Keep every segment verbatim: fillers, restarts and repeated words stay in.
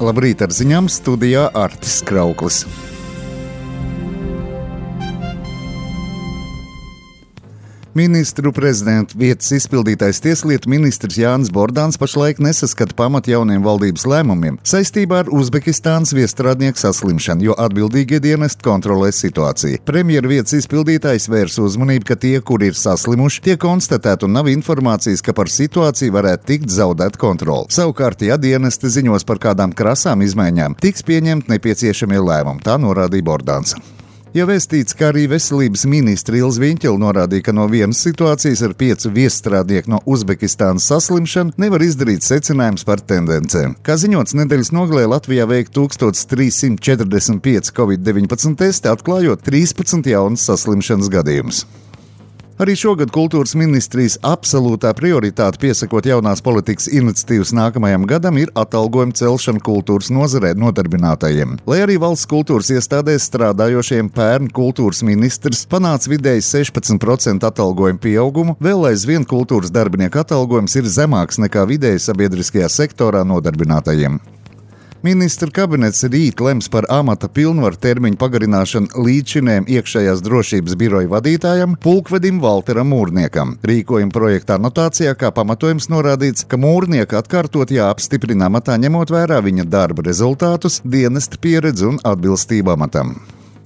Labrīt, ar ziņām studijā Artis Krauklis. Ministru prezidentu vietas izpildītais tieslietu ministrs Jānis Bordāns pašlaik nesaskata pamatu jauniem valdības lēmumiem saistībā ar Uzbekistānas viestrādnieku saslimšanu, jo atbildīgie dienesti kontrolē situāciju. Premjera vietas izpildītājs vērs uzmanību, ka tie, kuri ir saslimuši, tiek konstatēti un nav informācijas, ka par situāciju varētu tikt zaudēt kontroli. Savukārt, ja dienesti ziņos par kādām krasām izmaiņām, tiks pieņemt nepieciešamie lēmumi, tā norādīja Bordāns. Jau vēstīts, ka arī veselības ministra Ilze Viņķele norādīja, ka no vienas situācijas ar piecu viestrādnieku no Uzbekistānas saslimšanu nevar izdarīt secinājums par tendencēm. Kā ziņots, nedēļas nogalē Latvijā veikta tūkstoš trīs simti četrdesmit pieci covid deviņpadsmit testi, atklājot trīspadsmit jaunas saslimšanas gadījumus. Arī šogad kultūras ministrijas absolūtā prioritāte piesakot jaunās politikas iniciatīvas nākamajam gadam ir atalgojuma celšana kultūras nozarē nodarbinātajiem. Lai arī valsts kultūras iestādēs strādājošiem pērn kultūras ministrs panāca vidēji sešpadsmit procentu atalgojumu pieaugumu, vēl aizvien kultūras darbinieku atalgojums ir zemāks nekā vidēji sabiedriskajā sektorā nodarbinātajiem. Ministra kabinets rīt lems par amata pilnvaru termiņu pagarināšanu līdzšinējiem iekšējās drošības biroja vadītājam pulkvedim Valteram Mūrniekam. Rīkojuma projekta anotācijā kā pamatojums norādīts, ka Mūrnieka atkārtot jāapstiprina amatā ņemot vērā viņa darba rezultātus, dienesta pieredzi un atbilstību amatam.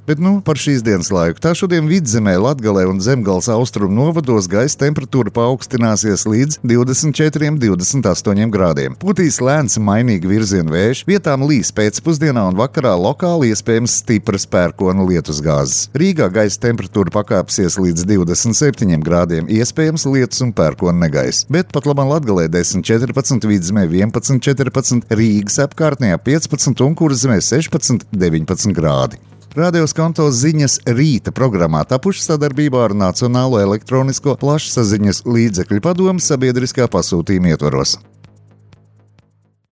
Bet nu par šīs dienas laiku. Tā šodien Vidzemē, Latgalē un Zemgales austrumu novados gaisa temperatūra paaugstināsies līdz divdesmit četriem līdz divdesmit astoņiem grādiem. Putīs lēns mainīgi virziena vējš, vietām līs pēcpusdienā un vakarā lokāli iespējams stipras pērkona lietusgāzes. Rīgā gaisa temperatūra pakāpsies līdz divdesmit septiņiem grādiem, iespējams lietus un pērkona negaiss. Bet pat labam Latgalē desmit četrpadsmit, Vidzemē vienpadsmit četrpadsmit, Rīgas apkārtnē piecpadsmit un Kurzemē sešpadsmit deviņpadsmit grādi. Radio Skanto ziņas rīta programmā tapuši sadarbībā ar Nacionālo elektronisko plašsaziņas līdzekļu padomu sabiedriskā pasūtījuma ietvaros.